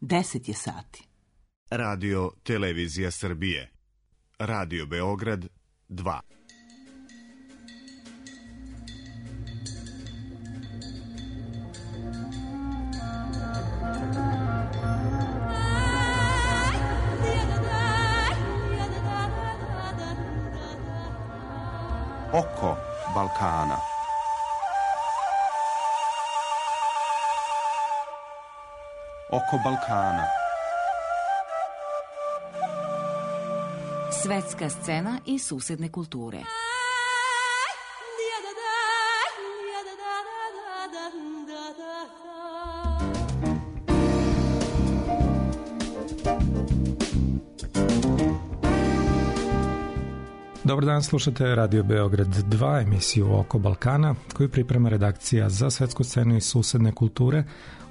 10 je sati. Radio Televizija Srbije. Radio Beograd 2. Oko Balkana. Oko Balkana. Svetska scena i susedne kulture. Dobar dan, slušate Radio Beograd 2, emisiju Oko Balkana, koju priprema redakcija za svetsku scenu i susedne kulture.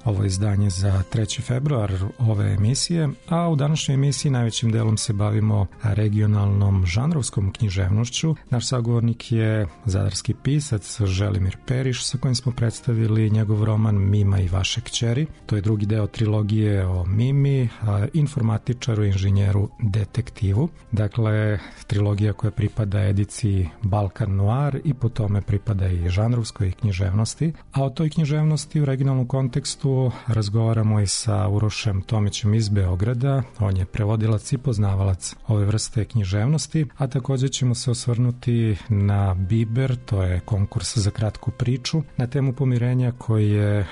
Ovo je izdanje za 3. februar ove emisije, a u današnjoj emisiji najvećim delom se bavimo regionalnom žanrovskom književnošću. Naš sagovornik je zadarski pisac Želimir Periš, sa kojim smo predstavili njegov roman Mima i vaše kćeri. To je drugi deo trilogije o Mimi, informatičaru, inženjeru, detektivu. Dakle, trilogija koja pripada ediciji Balkan Noir i po tome pripada i žanrovskoj književnosti. A o toj književnosti u regionalnom kontekstu razgovaramo i sa Urošem Tomićem iz Beograda. On je prevodilac i poznavalac ove vrste književnosti, a također ćemo se osvrnuti na Biber, to je konkurs za kratku priču, na temu pomirenja koji je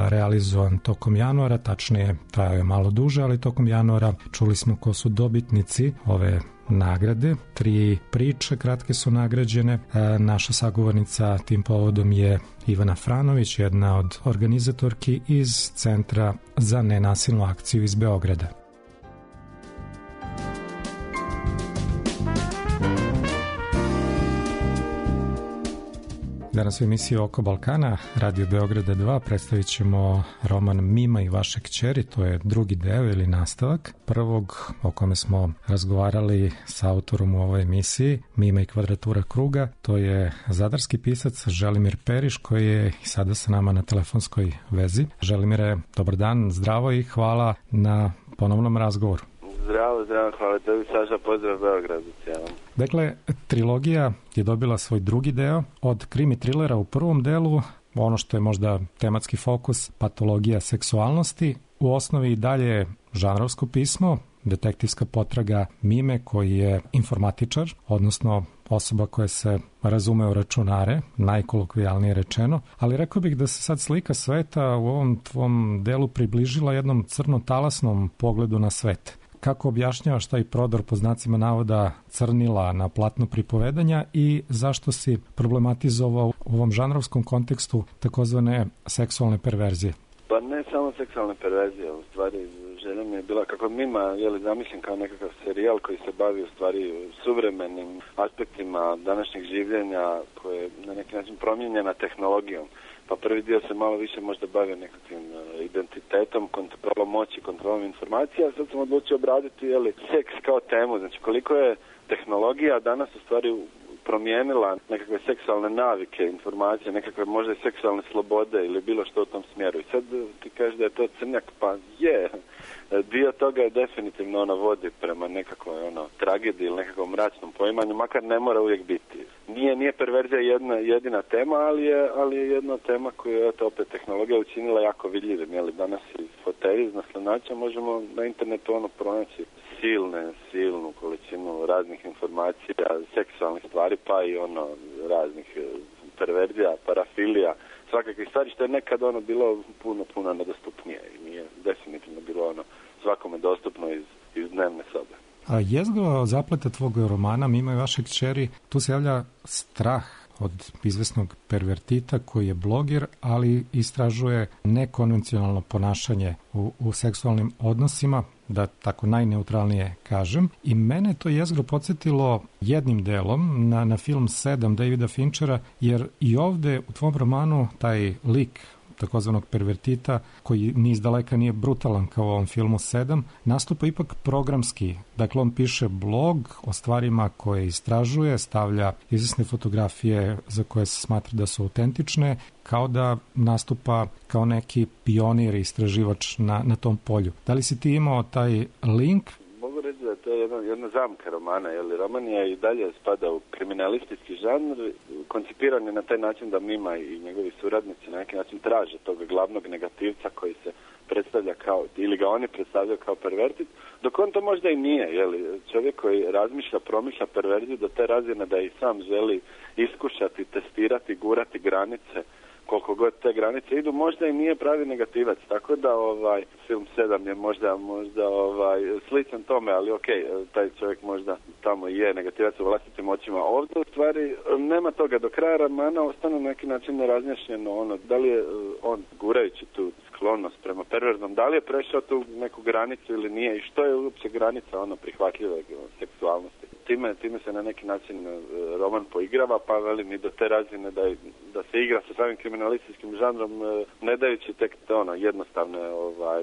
realizovan tokom januara, tačnije trajao je malo duže, ali tokom januara čuli smo ko su dobitnici ove nagrade. 3 priče kratke su nagrađene. Naša sagovornica tim povodom je Ivana Franović, jedna od organizatorki iz Centra za nenasilnu akciju iz Beograda. Danas u emisiji Oko Balkana, Radio Beograda 2, predstavit ćemo roman Mima i vaše kćeri, to je drugi deo ili nastavak prvog o kome smo razgovarali sa autorom u ovoj emisiji, Mima i kvadratura kruga. To je zadarski pisac Želimir Periš, koji je i sada sa nama na telefonskoj vezi. Želimire, dobar dan, zdravo i hvala na ponovnom razgovoru. Zdravo, hvala tebi, Saša, pozdrav Beogradu cijelom. Dakle, trilogija je dobila svoj drugi deo. Od krimi trilera u prvom delu, ono što je možda tematski fokus, patologija seksualnosti, u osnovi i dalje žanrovsko pismo, detektivska potraga Mime, koji je informatičar, odnosno osoba koja se razume u računare, najkolokvijalnije rečeno, ali rekao bih da se sad slika sveta u ovom tvom delu približila jednom crno-talasnom pogledu na svet. Kako objašnjavaš taj prodor po znacima navoda crnila na platno pripovedanja i zašto si problematizovao u ovom žanrovskom kontekstu takozvane seksualne perverzije? Pa ne samo seksualne perverzije, u stvari želja mi je bila kako Mima zamišljen kao nekakav serijal koji se bavi u stvari suvremenim aspektima današnjeg življenja koje je na neki način promijenjena tehnologijom. Pa prvi dio se malo više možda bavio nekakvim identitetom, kontrolom moći, kontrolom informacija, a sad sam odlučio obraditi seks kao temu. Znači koliko je tehnologija danas u stvari promijenila nekakve seksualne navike, informacije, nekakve možda i seksualne slobode ili bilo što u tom smjeru. I sad ti kažeš da je to crnjak, pa je. Dio toga je definitivno vodi prema nekakvoj tragediji ili nekakvom mračnom poimanju, makar ne mora uvijek biti. Nije perverzija jedina tema, ali je jedna tema koju je opet tehnologija učinila jako vidljivim. Danas iz fotelji, iz naslanača možemo na internetu pronaći silnu količinu raznih informacija, seksualnih stvari, pa i raznih perverzija, parafilija, svakakvih stvari, što je nekad bilo puno nedostupnije i nije definitivno bilo svakome dostupno iz dnevne sobe. A jezgro zapleta tvog romana Mima i vaše kćeri, tu se javlja strah od izvesnog pervertita koji je bloger, ali istražuje nekonvencionalno ponašanje u seksualnim odnosima, da tako najneutralnije kažem. I mene to jezgro podsjetilo jednim delom na film 7 Davida Finchera, jer i ovde u tvom romanu taj lik takozvanog pervertita, koji ni izdaleka nije brutalan kao u ovom filmu 7, nastupa ipak programski. Dakle, on piše blog o stvarima koje istražuje, stavlja izvesne fotografije za koje se smatra da su autentične, kao da nastupa kao neki pionir i istraživač na tom polju. Da li si ti imao taj link? Mogu reći da to je jedna zamka romana, jer roman je i dalje spada u kriminalistički žanr, koncipiran je na taj način da Mima i njegovi suradnici na neki način traže tog glavnog negativca koji se predstavlja kao, ili ga oni predstavljaju kao pervertit, dok on to možda i nije, čovjek koji razmišlja, promišlja perverziju do te razine da i sam želi iskušati, testirati, gurati granice, koliko god te granice idu, možda i nije pravi negativac, tako da film 7 je možda sličan tome, ali taj čovjek možda tamo je negativac u vlastitim očima. Ovdje u stvari nema toga, do kraja romana ostane na neki način nerazjašnjeno da li je on, gurajući tu sklonost prema perverznom, da li je prešao tu neku granicu ili nije i što je uopće granica prihvatljive seksualnosti. Time se na neki način roman poigrava, pa velim i do te razine da se igra sa samim kriminalističkim žanrom, ne dajući tek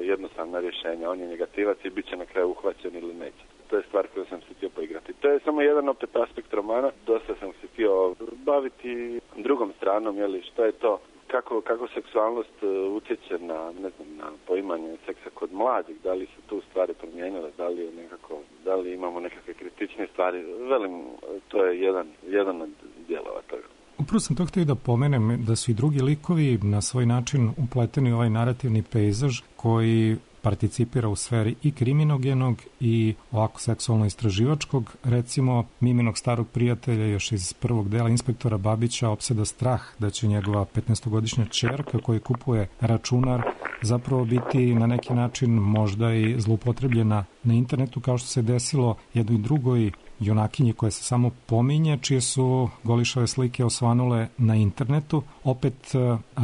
jednostavna rješenja. On je negativac i bit će na kraju uhvaćen ili neće. To je stvar koju sam se htio poigrati. To je samo jedan opet aspekt romana. Dosta sam se htio baviti drugom stranom, što je to, kako seksualnost utječe na poimanje seksa kod mladih, da li se tu stvari promijenile, da li imamo nekakve kritične stvari. Velim, to je jedan od dijelova toga. Upravo sam to htio da pomenem da su i drugi likovi na svoj način upleteni u ovaj narativni pejzaž koji participira u sferi i kriminogenog i ovako seksualno-istraživačkog. Recimo, Miminog starog prijatelja još iz prvog dela inspektora Babića opseda strah da će njegova 15-godišnja ćerka koji kupuje računar zapravo biti na neki način možda i zloupotrebljena na internetu, kao što se desilo jednoj drugoj junakinji koja se samo pominje, čije su golišave slike osvanule na internetu. Opet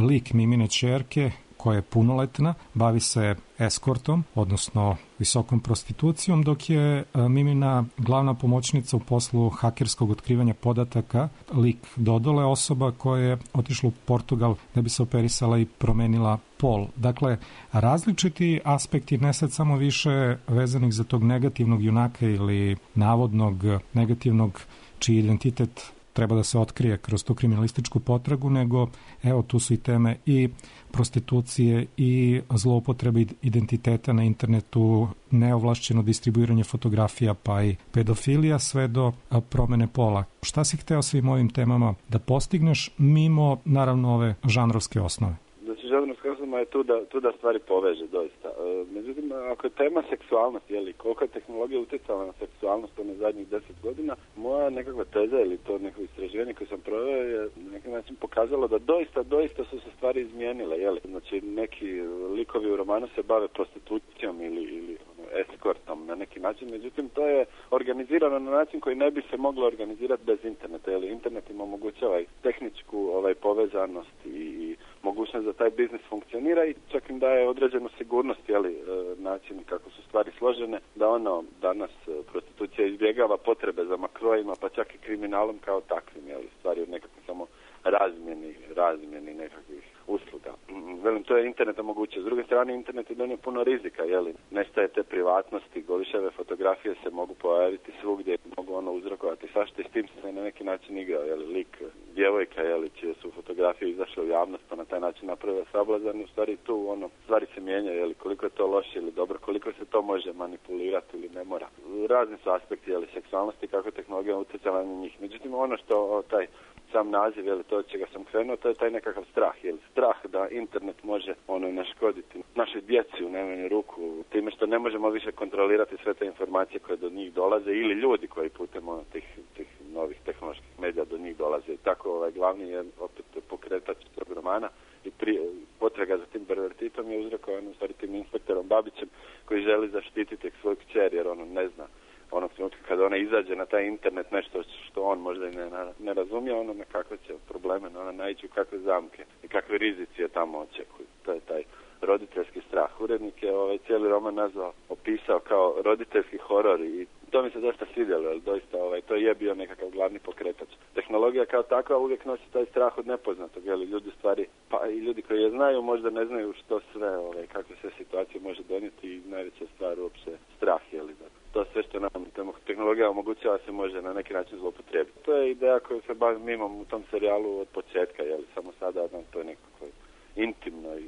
lik Mimine ćerke koja je punoletna, bavi se eskortom, odnosno visokom prostitucijom, dok je Mimina glavna pomoćnica u poslu hakerskog otkrivanja podataka, lik Dodole, osoba koja je otišla u Portugal da bi se operisala i promenila pol. Dakle, različiti aspekti, ne sad samo više vezanih za tog negativnog junaka ili navodnog negativnog čiji identitet treba da se otkrije kroz tu kriminalističku potragu, nego evo tu su i teme i prostitucije i zloupotrebe identiteta na internetu, neovlašćeno distribuiranje fotografija pa i pedofilija sve do promene pola. Šta si hteo svim ovim temama da postigneš mimo naravno ove žanrovske osnove? Znači, žanrovska osnova je tu da stvari poveže doista. Međutim, ako je tema seksualnosti, koliko je tehnologija utjecala na seksualnost na zadnjih 10 godina, moja nekakva teza ili to neko istraživanje koje sam proveo je na neki način pokazalo da doista su se stvari izmijenile. Znači, neki likovi u romanu se bave prostitucijom ili eskortom na neki način, međutim to je organizirano na način koji ne bi se moglo organizirati bez interneta, internet im omogućava i tehničku povezanost i mogućnost da taj biznis funkcionira i čak im daje određenu sigurnost, način kako su stvari složene, da danas prostitucija izbjegava potrebe za makrojima, pa čak i kriminalom kao takvim, stvari od nekakve samo razmjeni nekakvih usluga. Velim, to je internet omogućio. S druge strane, internet je donio puno rizika, nestaje te privatnosti, golišave fotografije se mogu pojaviti svugdje, mogu uzrokovati svašta i s tim se na neki način igrao, lik djevojka, čije su fotografije izašle u javnost, pa na taj način napravila sablazan, u stvari tu stvari se mijenjaju, koliko je to loše ili dobro, koliko se to može manipulirati ili ne mora. Razni su aspekti, seksualnosti, kako tehnologija utjecala na njih. Međutim, ono što taj sam naziv, to od čega sam krenuo, to je taj nekakav strah, strah da internet može naškoditi našoj djeci u najmanju ruku, time što ne možemo više kontrolirati sve te informacije koje do njih dolaze ili ljudi koji putem tih novih tehnoloških medija do njih dolaze. I tako glavni je opet pokretač tog romana i potraga za tim pervertitom je uzrokovan u stvari tim inspektorom Babićem koji želi zaštititi svoju kćer jer ne zna onog trenutka kada ona izađe na taj internet nešto što on možda i ne razumije, na kakve će probleme, ona naići u kakve zamke i kakve rizici je tamo očekuju. To je taj roditeljski strah. Urednik je cijeli roman opisao kao roditeljski horor i To mi se dosta svidjelo, jer doista to je bio nekakav glavni pokretač. Tehnologija kao takva uvijek nosi taj strah od nepoznatog, jer ljudi stvari, pa i ljudi koji je znaju možda ne znaju što sve, kakve sve situacije može donijeti i najveća stvar uopće strah, to sve što nam tehnologija omogućava se može na neki način zloupotrijebiti. To je ideja koju se bavim imam u tom serijalu od početka, samo sada to je nekako intimno i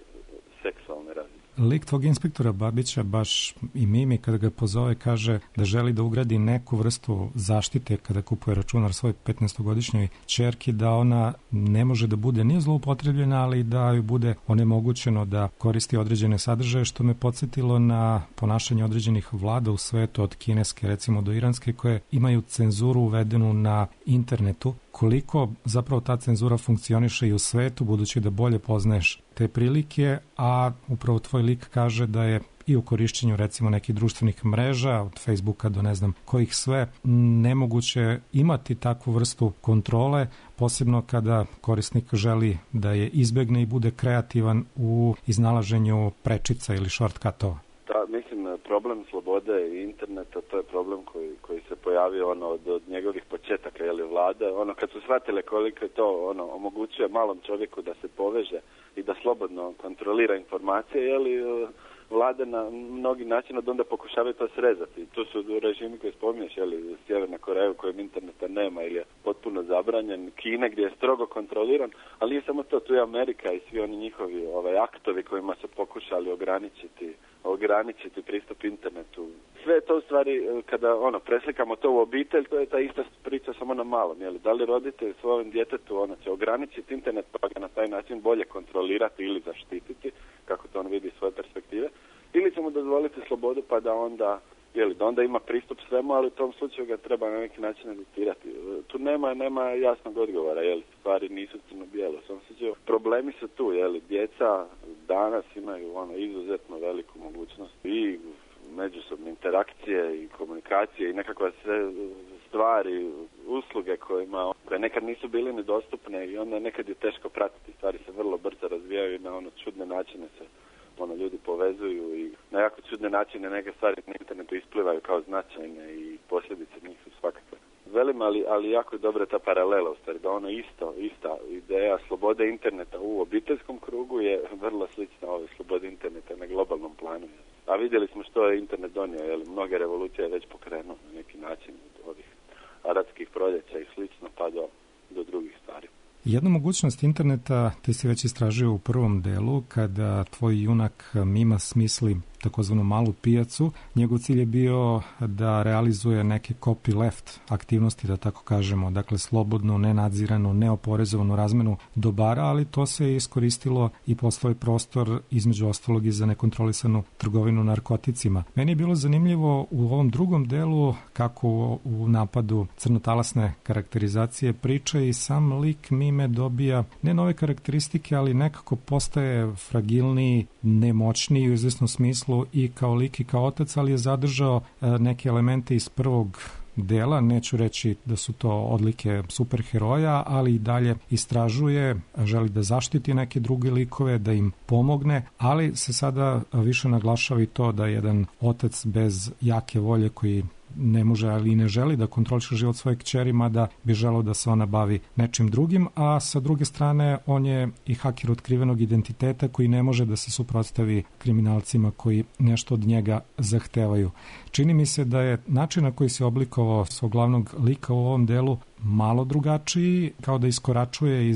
seksualne razine. Lik tvog inspektora Babića, baš i Mimi, kada ga pozove, kaže da želi da ugradi neku vrstu zaštite kada kupuje računar svoj 15-godišnjoj ćerki, da ona ne može da bude ni zloupotrebljena, ali da joj bude onemogućeno da koristi određene sadržaje, što me podsjetilo na ponašanje određenih vlada u svetu, od kineske recimo do iranske, koje imaju cenzuru uvedenu na internetu. Koliko zapravo ta cenzura funkcioniše i u svetu, budući da bolje poznaješ te prilike, a upravo tvoj lik kaže da je i u korišćenju recimo nekih društvenih mreža, od Facebooka do ne znam kojih sve, nemoguće imati takvu vrstu kontrole, posebno kada korisnik želi da je izbegne i bude kreativan u iznalaženju prečica ili shortcutova. Mislim, problem slobode i interneta, to je problem koji se pojavio od njegovih početaka, vlade, kad su shvatile koliko to omogućuje malom čovjeku da se poveže i da slobodno kontrolira informacije, vlade na mnogi način od onda pokušavaju to srezati. Tu su režimi koji spominješ, Sjeverna Koreja u kojem interneta nema ili je potpuno zabranjen, Kina gdje je strogo kontroliran, ali nije samo to, tu je Amerika i svi oni njihovi aktovi kojima su pokušali ograničiti pristup internetu. Sve to u stvari, kada preslikamo to u obitelj, to je ta ista priča samo na malom. Da li roditelj svojem djetetu će ograničiti internet pa ga na taj način bolje kontrolirati ili zaštititi, kako to on vidi iz svoje perspektive, ili će mu dozvoliti slobodu pa da onda ima pristup svemu, ali u tom slučaju ga treba na neki način educirati. Tu nema jasnog odgovora, stvari nisu crno-bijelo. U svom slučaju problemi su tu, djeca danas imaju izuzetno veliku mogućnost i međusobne interakcije i komunikacije i nekakve sve stvari, usluge koje nekad nisu bili nedostupne i onda nekad je teško pratiti. Stvari se vrlo brzo razvijaju i na čudne načine se ljudi povezuju i na jako čudne načine neke stvari na internetu isplivaju kao značajne i posljedice njih su svakakve. Velim, ali jako je dobra ta paralela u stvari, da ista ideja slobode interneta u obiteljskom krugu je vrlo slična ove slobode interneta na globalnom planu. A vidjeli smo što je internet donio, mnoge revolucije je već pokrenuo na neki način od ovih arapskih proljeća i slično pa do drugih stvari. Jednu mogućnost interneta ti si već istražio u prvom delu, kada tvoj junak Mima smisli takozvanu malu pijacu. Njegov cilj je bio da realizuje neke copyleft aktivnosti, da tako kažemo, dakle slobodno, nenadzirano, neoporezovanu razmenu dobara, ali to se iskoristilo i postao je prostor između ostalog i za nekontrolisanu trgovinu narkoticima. Meni je bilo zanimljivo u ovom drugom delu kako u napadu crnotalasne karakterizacije priče i sam lik Mime dobija ne nove karakteristike, ali nekako postaje fragilniji, nemoćniji u izvesnom smislu i kao lik i kao otac, ali je zadržao neke elemente iz prvog dela, neću reći da su to odlike superheroja, ali i dalje istražuje, želi da zaštiti neke druge likove, da im pomogne, ali se sada više naglašava i to da jedan otac bez jake volje koji ne može, ali i ne želi da kontroliše život svoje kćeri, mada bi želeo da se ona bavi nečim drugim, a sa druge strane on je i haker otkrivenog identiteta koji ne može da se suprotstavi kriminalcima koji nešto od njega zahtevaju. Čini mi se da je način na koji se oblikovao svog glavnog lika u ovom delu malo drugačiji, kao da iskoračuje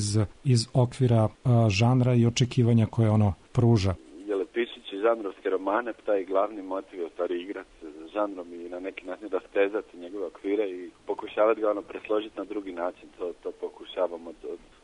iz okvira žanra i očekivanja koje ono pruža. Pišući žanrovske romane, taj glavni motiv je u stvari igrati s žanrom i na neki način rastezati njegove okvire i pokušavati ga presložiti na drugi način. To pokušavamo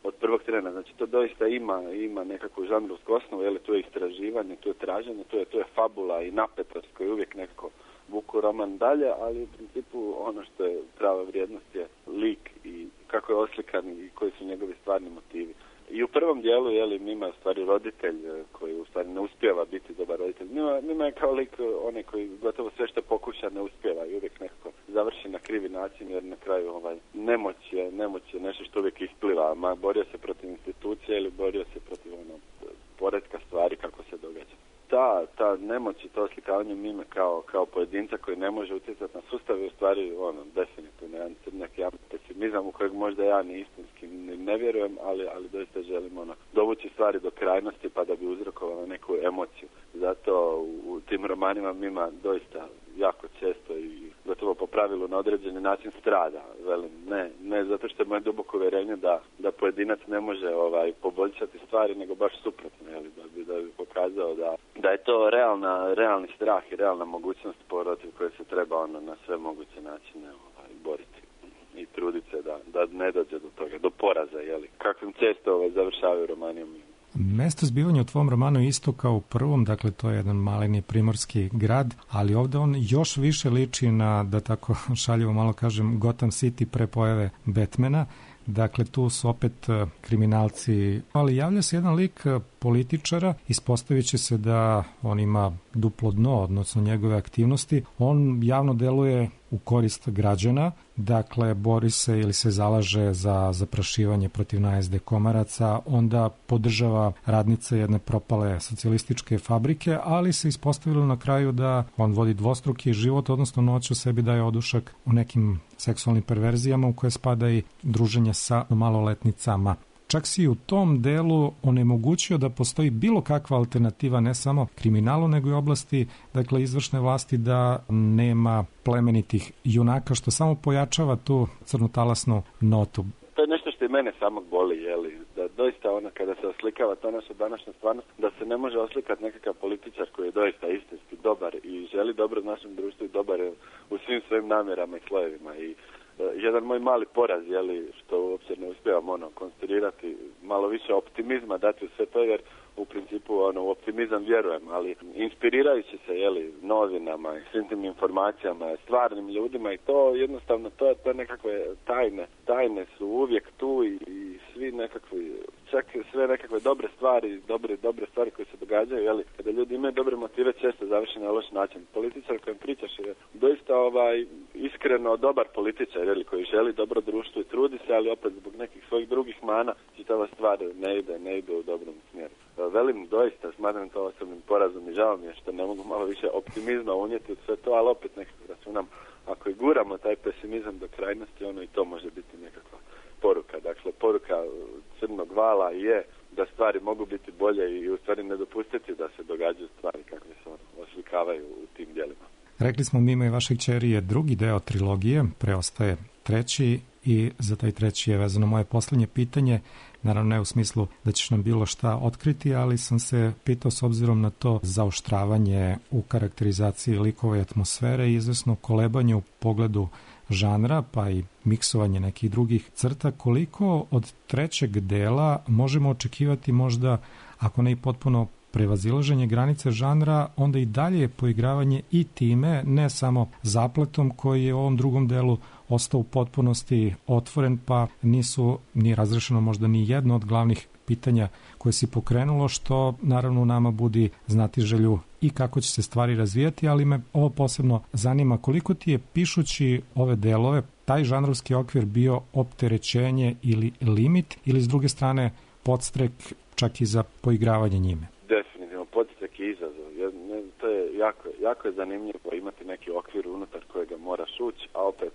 od prvog trena. Znači to doista ima nekakvu žanrovsku osnovu, tu je istraživanje, tu je traženje, tu je fabula i napetost koji uvijek nekako vuku roman dalje, ali u principu ono što je prava vrijednost je lik i kako je oslikan i koji su njegovi stvarni motivi. I u prvom dijelu, Mima je u stvari roditelj koji u stvari ne uspijeva biti dobar roditelj. Mima je kao lik onaj koji gotovo sve što pokuša ne uspijeva i uvijek nekako završi na krivi način, jer na kraju nemoć je nešto što uvijek ispliva. Borio se protiv institucije ili borio se protiv poretka stvari kako se događa. ta nemoć i to oslikavanje Mime kao pojedinca koji ne može utjecati na sustav je u stvari definitivno jedan crnjak, jedan pesimizam u kojeg možda ja ni istinski ne vjerujem, ali doista želim dovući stvari do krajnosti pa da bi uzrokovala neku emociju. Zato u tim romanima Mima doista jako često i gotovo po pravilu na određeni način strada. Velim, ne zato što je moje duboko uvjerenje da pojedinac ne može poboljšati stvari, nego baš suprotno, da bi pokazao da je to realni strah i realna mogućnost protiv koje se treba na sve moguće načine boriti i truditi se da ne dođe do toga, do poraza, kakvim često završavaju romani. Mesto zbivanja u tvom romanu je isto kao u prvom, dakle to je jedan maleni primorski grad, ali ovdje on još više liči na, da tako šaljivo malo kažem, Gotham City pre pojave Batmana. Dakle, tu su opet kriminalci, ali javlja se jedan lik političara, ispostavit će se da on ima duplo dno, odnosno njegove aktivnosti. On javno deluje u korist građana, dakle, bori se ili se zalaže za zaprašivanje protiv najezde komaraca, onda podržava radnice jedne propale socijalističke fabrike, ali se ispostavilo na kraju da on vodi dvostruki život, odnosno noć u sebi daje odušak u nekim seksualnim perverzijama u koje spada i druženje sa maloletnicama. Čak si u tom delu onemogućio da postoji bilo kakva alternativa ne samo kriminalu, nego i oblasti, dakle, izvršne vlasti, da nema plemenitih junaka, što samo pojačava tu crnotalasnu notu. To je nešto što i mene samog boli, da doista kada se oslikava ta naša današnja stvarnost, da se ne može oslikati nekakav političar koji je doista istinski dobar i želi dobro našem društvu i dobar je u svim svojim namjerama i slojevima. I jedan moj mali poraz, što uopće ne uspijevam konstruirati, malo više optimizma dati u sve to, jer u principu u optimizam vjerujem, ali inspirirajući se novinama i svim tim informacijama, stvarnim ljudima, i to jednostavno to nekakve tajne su uvijek tu i svi nekakvi, čak sve nekakve dobre stvari koje se događaju, kada ljudi imaju dobre motive, često završi na loš način. Političar kojem pričaš je doista iskreno dobar političar, koji želi dobro društvu i trudi se, ali opet zbog nekih svojih drugih mana čitava stvar ne ide u dobrom smjeru. Velim, doista smatram to osobnim porazom i žao mi je što ne mogu malo više optimizma unijeti u sve to, ali opet nekako računam, ako i guramo taj pesimizam do krajnosti, i to može biti nekakva poruka. Dakle, poruka Crnog vala je da stvari mogu biti bolje i u stvari ne dopustiti da se događaju stvari kakve se oslikavaju u tim djelima. Rekli smo, Mima i vaše kćeri je drugi deo trilogije, preostaje treći, i za taj treći je vezano moje posljednje pitanje. Naravno, ne u smislu da ćeš nam bilo šta otkriti, ali sam se pitao s obzirom na to zaoštravanje u karakterizaciji likova i atmosfere i izvesno kolebanje u pogledu žanra, pa i miksovanje nekih drugih crta, koliko od trećeg dela možemo očekivati možda, ako ne i potpuno prevazilaženje granice žanra, onda i dalje poigravanje i time, ne samo zapletom koji je u ovom drugom delu ostao u potpunosti otvoren, pa nije razrešeno možda ni jedno od glavnih pitanja koje si pokrenulo, što naravno u nama budi znati želju i kako će se stvari razvijati, ali me ovo posebno zanima, koliko ti je, pišući ove delove, taj žanrovski okvir bio opterećenje ili limit, ili s druge strane podstrek čak i za poigravanje njime? Definitivno, podstrek i izazov. To je jako je zanimljivo imati neki okvir unutar kojega moraš ući, a opet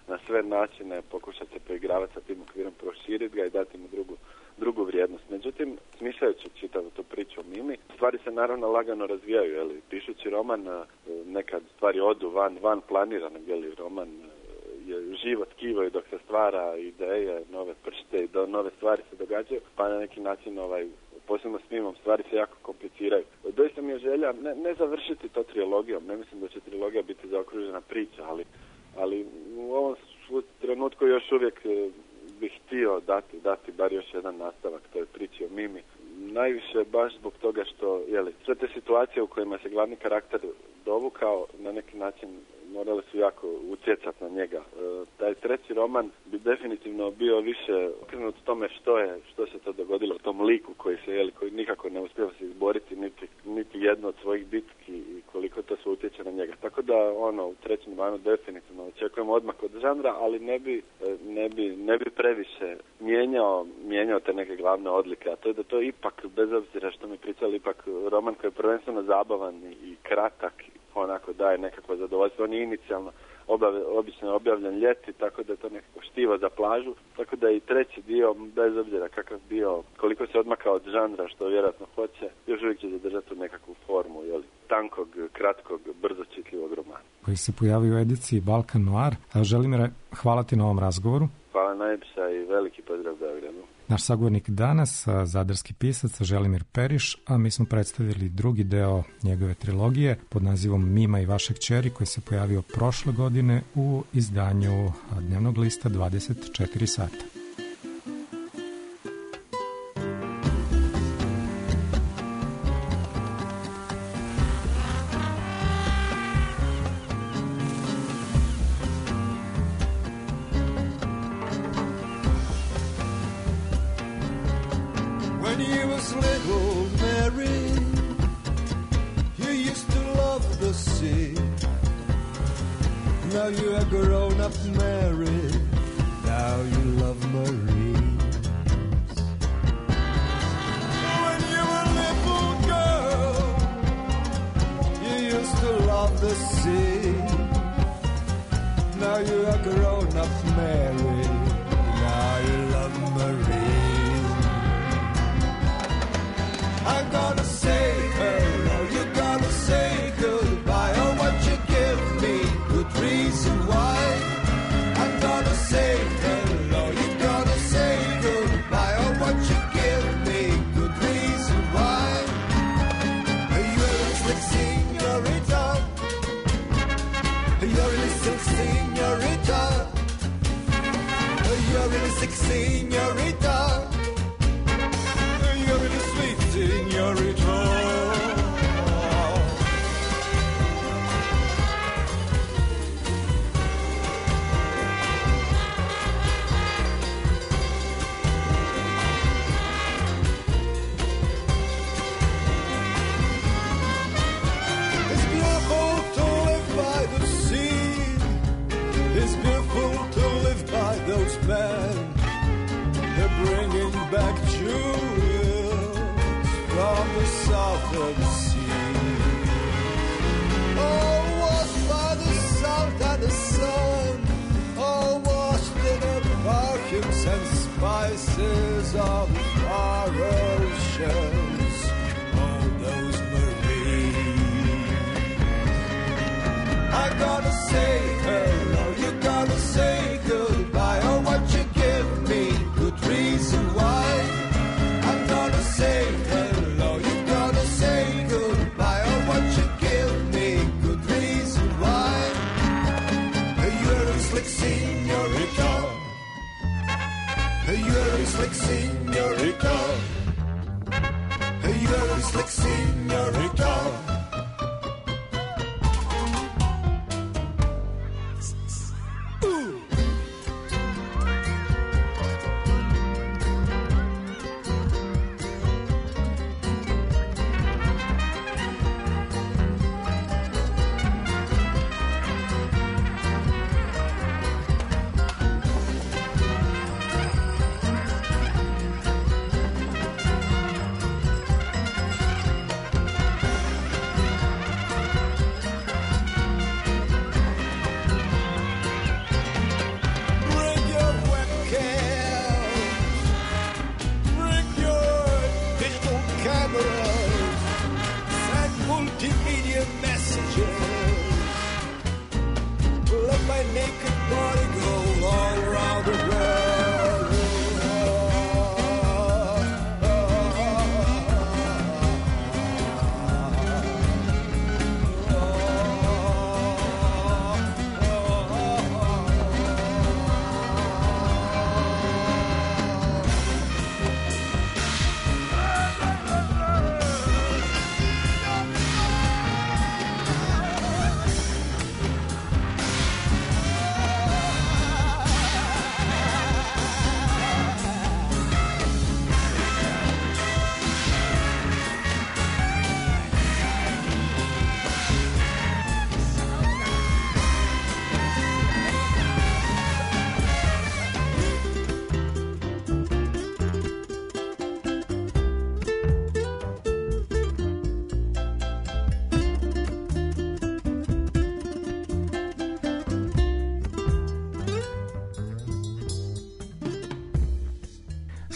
na sve načine pokušati se poigravati sa tim okvirom, proširiti ga i dati mu drugu vrijednost. Međutim, smišljajući čitavu tu priču o Mimi, stvari se naravno lagano razvijaju, pišući roman, nekad stvari odu van planiranog, roman je živo tkivo i dok se stvara ideje, nove pršte i nove stvari se događaju, pa na neki način posebno s Mimom stvari se jako kompliciraju. Doista mi je želja ne završiti to trilogijom, ne mislim da će trilogija biti zaokružena priča, ali u ovom trenutku još uvijek bih htio dati bar još jedan nastavak toj priči o Mimi. Najviše baš zbog toga što sve te situacije u kojima se glavni karakter dovukao na neki način morali su jako utjecati na njega. Taj treći roman bi definitivno bio više okrenut tome što se to dogodilo tom liku koji nikako ne uspijeva se izboriti niti jedno od svojih bitki i koliko to sve utječe na njega. Tako da u trećem danu definitivno očekujemo odmak od žanra, ali ne bi previše mijenjao te neke glavne odlike, a to je da to ipak, bez obzira što mi pričali, ipak roman koji je prvenstveno zabavan i kratak, onako daje nekakvo zadovoljstvo. On je inicijalno obično je objavljen ljeti, tako da je to nekako štivo za plažu, tako da i treći dio, bez obzira kakav bio, koliko se odmakao od žanra, što vjerojatno hoće, još uvijek će zadržati tu nekakvu formu, tankog, kratkog, brzo čitljivog romana. Koji se pojavio u ediciji Balkan Noir. Želimire, hvala ti na ovom razgovoru. Hvala najljepša i veliki pozdrav Beogradu. Naš sagovornik danas, zadarski pisac Želimir Periš, a mi smo predstavili drugi deo njegove trilogije pod nazivom Mima i vaše kćeri, koji se pojavio prošle godine u izdanju dnevnog lista 24 sata.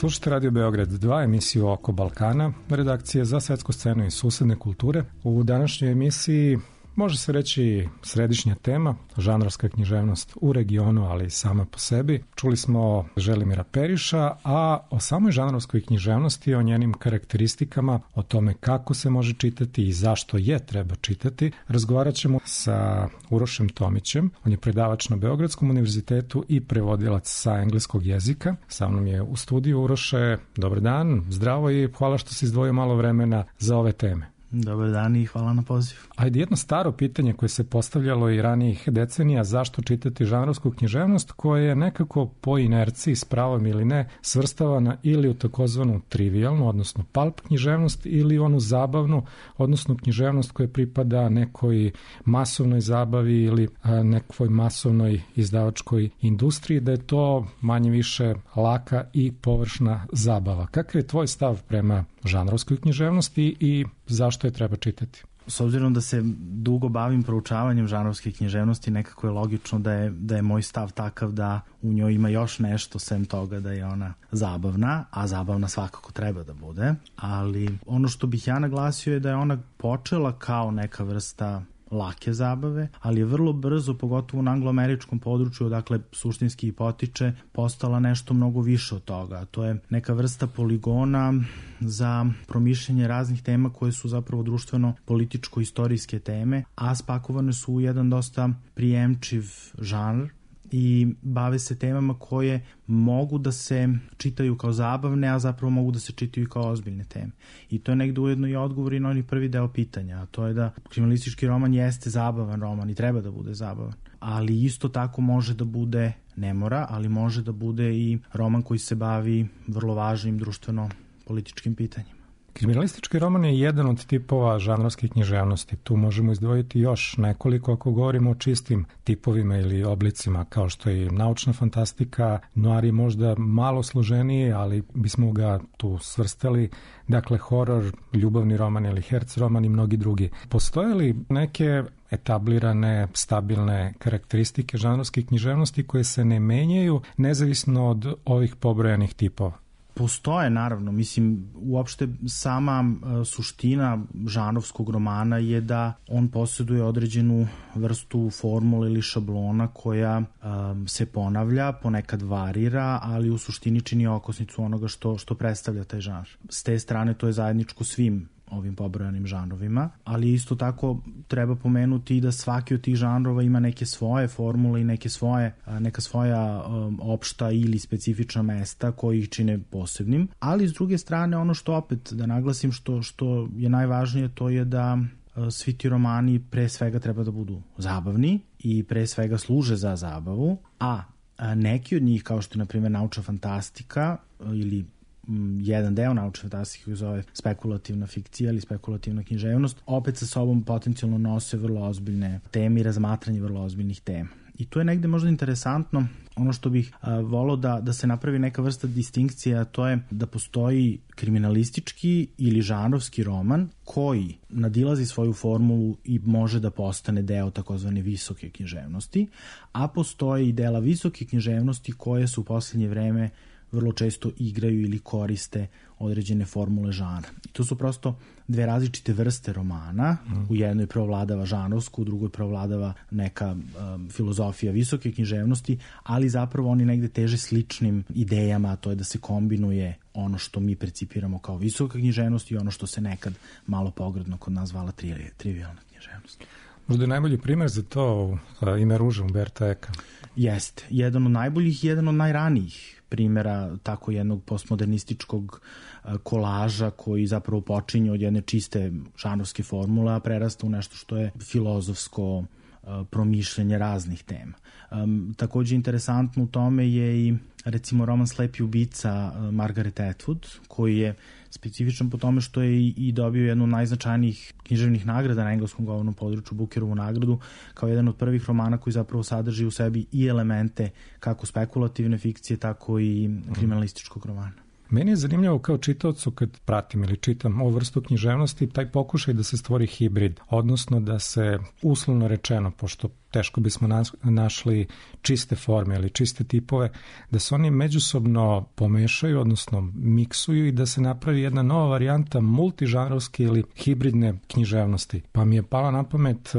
Slušajte Radio Beograd 2, emisiju Oko Balkana, redakcije za svetsku scenu i susedne kulture. U današnjoj emisiji može se reći središnja tema, žanrovska književnost u regionu, ali i sama po sebi. Čuli smo Želimira Periša, a o samoj žanrovskoj književnosti, o njenim karakteristikama, o tome kako se može čitati i zašto je treba čitati, razgovarat ćemo sa Urošem Tomićem. On je predavač na Beogradskom univerzitetu i prevodilac sa engleskog jezika. Sa mnom je u studiju. Uroše, dobar dan, zdravo i hvala što si izdvojio malo vremena za ove teme. Dobar dan i hvala na pozivu. Ajde, jedno staro pitanje koje se postavljalo i ranijih decenija, zašto čitati žanrovsku književnost, koja je nekako po inerciji, s pravom ili ne, svrstavana ili u takozvanu trivialnu, odnosno pulp književnost, ili onu zabavnu, odnosno književnost koja pripada nekoj masovnoj zabavi ili nekoj masovnoj izdavačkoj industriji, da je to manje više laka i površna zabava. Kakav je tvoj stav prema žanrovskoj književnosti i zašto je treba čitati? S obzirom da se dugo bavim proučavanjem žanrovske književnosti, nekako je logično da je moj stav takav da u njoj ima još nešto sem toga da je ona zabavna, a zabavna svakako treba da bude. Ali ono što bih ja naglasio je da je ona počela kao neka vrsta lake zabave, ali je vrlo brzo, pogotovo na angloameričkom području, odakle suštinski i potiče, postala nešto mnogo više od toga. To je neka vrsta poligona za promišljanje raznih tema koje su zapravo društveno-političko-istorijske teme, a spakovane su u jedan dosta prijemčiv žanr i bave se temama koje mogu da se čitaju kao zabavne, a zapravo mogu da se čitaju i kao ozbiljne teme. I to je negde ujedno i odgovor i na oni prvi deo pitanja, a to je da kriminalistički roman jeste zabavan roman i treba da bude zabavan, ali isto tako može da bude, ne mora, ali može da bude i roman koji se bavi vrlo važnim društveno-političkim pitanjima. Kriminalistički roman je jedan od tipova žanrovske književnosti. Tu možemo izdvojiti još nekoliko ako govorimo o čistim tipovima ili oblicima, kao što je naučna fantastika. Noir je možda malo složeniji, ali bismo ga tu svrstali. Dakle, horor, ljubavni roman ili herc roman i mnogi drugi. Postoje li neke etablirane, stabilne karakteristike žanrovske književnosti koje se ne menjaju nezavisno od ovih pobrojanih tipova? Postoje, naravno. Mislim, uopšte sama suština žanrovskog romana je da on posjeduje određenu vrstu formule ili šablona koja se ponavlja, ponekad varira, ali u suštini čini okosnicu onoga što predstavlja taj žanr. S te strane to je zajedničko svim ovim pobrojanim žanrovima, ali isto tako treba pomenuti i da svaki od tih žanrova ima neke svoje formule i neka svoja opšta ili specifična mesta koji ih čine posebnim, ali s druge strane ono što opet da naglasim što je najvažnije, to je da svi ti romani pre svega treba da budu zabavni i pre svega služe za zabavu, a neki od njih kao što je na primjer naučna fantastika ili jedan deo naučne fantastike koji zove spekulativna fikcija ili spekulativna književnost, opet sa sobom potencijalno nose vrlo ozbiljne teme i razmatranje vrlo ozbiljnih tema. I to je negde možda interesantno. Ono što bih volao da se napravi neka vrsta distinkcija, a to je da postoji kriminalistički ili žanrovski roman koji nadilazi svoju formulu i može da postane deo takozvane visoke književnosti, a postoje i dela visoke književnosti koje su u poslednje vreme vrlo često igraju ili koriste određene formule žanra. I to su prosto dve različite vrste romana. U jednoj preovladava žanrovsku, u drugoj preovladava neka filozofija visoke književnosti, ali zapravo oni negde teže sličnim idejama, a to je da se kombinuje ono što mi percipiramo kao visoka književnost i ono što se nekad malo pogrdno kod nas zvala trivialna književnost. Možda je najbolji primer za to Ime ruže Umberta Eka. Jeste. Jedan od najboljih i jedan od najranijih primjera tako jednog postmodernističkog kolaža koji zapravo počinje od jedne čiste žanrovske formule, a prerasta u nešto što je filozofsko promišljanje raznih tema. Takođe interesantno u tome je i recimo roman Slepi ubica Margaret Atwood, koji je specifičan po tome što je i dobio jednu od najznačajnijih književnih nagrada na engleskom govornom području, Bookerovu nagradu, kao jedan od prvih romana koji zapravo sadrži u sebi i elemente kako spekulativne fikcije, tako i kriminalističkog romana. Meni je zanimljivo kao čitaocu kad pratim ili čitam ovu vrstu književnosti, taj pokušaj da se stvori hibrid, odnosno da se uslovno rečeno, pošto teško bismo našli čiste forme ili čiste tipove, da se oni međusobno pomešaju, odnosno miksuju i da se napravi jedna nova varijanta multižanrovske ili hibridne književnosti. Pa mi je pala na pamet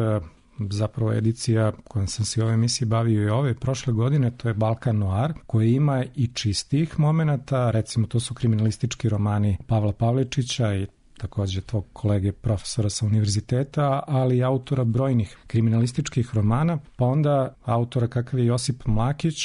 zapravo edicija kojom sam se u ovoj emisiji bavio i ove prošle godine, to je Balkan Noir, koji ima i čistih momenata, recimo to su kriminalistički romani Pavla Pavličića i takođe tog kolege profesora sa univerziteta, ali i autora brojnih kriminalističkih romana, pa onda autora kakav je Josip Mlakić,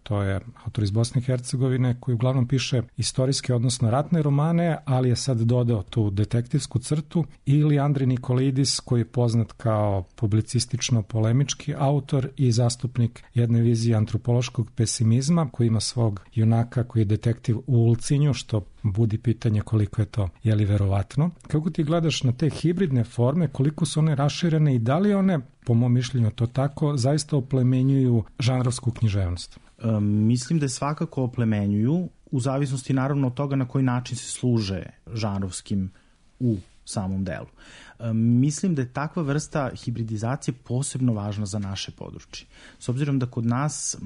to je autor iz Bosne i Hercegovine, koji uglavnom piše istorijske, odnosno ratne romane, ali je sad dodao tu detektivsku crtu, ili Andrej Nikolidis, koji je poznat kao publicistično-polemički autor i zastupnik jedne vizije antropološkog pesimizma, koji ima svog junaka koji je detektiv u Ulcinju, što budi pitanje koliko je to, je li verovatno. Kako ti gledaš na te hibridne forme, koliko su one raširene i da li one, po mom mišljenju to tako, zaista oplemenjuju žanrovsku književnost? Mislim da svakako oplemenjuju, u zavisnosti naravno od toga na koji način se služe žanrovskim u samom delu. Mislim da je takva vrsta hibridizacije posebno važna za naše područje. S obzirom da kod nas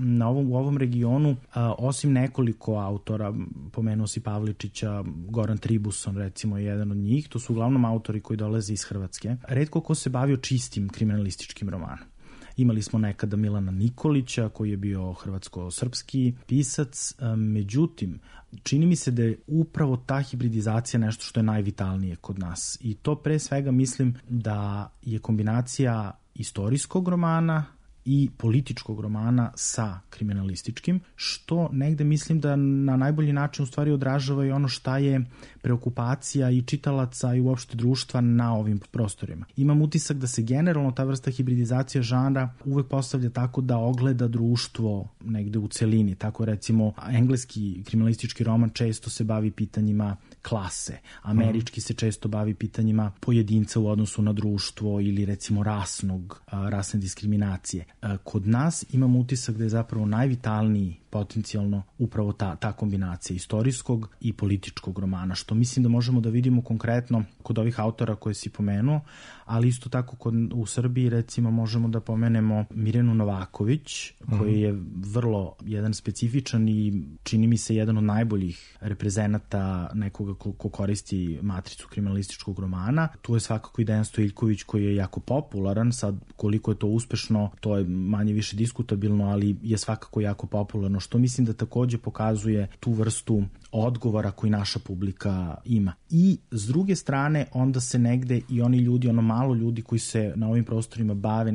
u ovom regionu, osim nekoliko autora, pomenuo si Pavličića, Goran Tribuson recimo je jedan od njih, to su uglavnom autori koji dolaze iz Hrvatske. Retko ko se bavio čistim kriminalističkim romanom. Imali smo nekada Milana Nikolića koji je bio hrvatsko-srpski pisac, međutim, čini mi se da je upravo ta hibridizacija nešto što je najvitalnije kod nas. I to pre svega mislim da je kombinacija istorijskog romana i političkog romana sa kriminalističkim, što negde mislim da na najbolji način u stvari odražava i ono šta je preokupacija i čitalaca i uopšte društva na ovim prostorima. Imam utisak da se generalno ta vrsta hibridizacije žanra uvek postavlja tako da ogleda društvo negde u celini. Tako recimo engleski kriminalistički roman često se bavi pitanjima klase, američki se često bavi pitanjima pojedinca u odnosu na društvo ili recimo rasne diskriminacije. Kod nas imam utisak da je zapravo najvitalniji potencijalno upravo ta kombinacija istorijskog i političkog romana, što mislim da možemo da vidimo konkretno kod ovih autora koje si pomenuo, ali isto tako u Srbiji recimo možemo da pomenemo Mirjanu Novaković, koji je vrlo jedan specifičan i čini mi se jedan od najboljih reprezenata nekoga ko koristi matricu kriminalističkog romana. Tu je svakako i Dejan Stojiljković koji je jako popularan, sad koliko je to uspešno, to je manje više diskutabilno, ali je svakako jako popularno, što mislim da takođe pokazuje tu vrstu odgovora koji naša publika ima. I s druge strane onda se negde i oni ljudi, ono malo ljudi koji se na ovim prostorima bave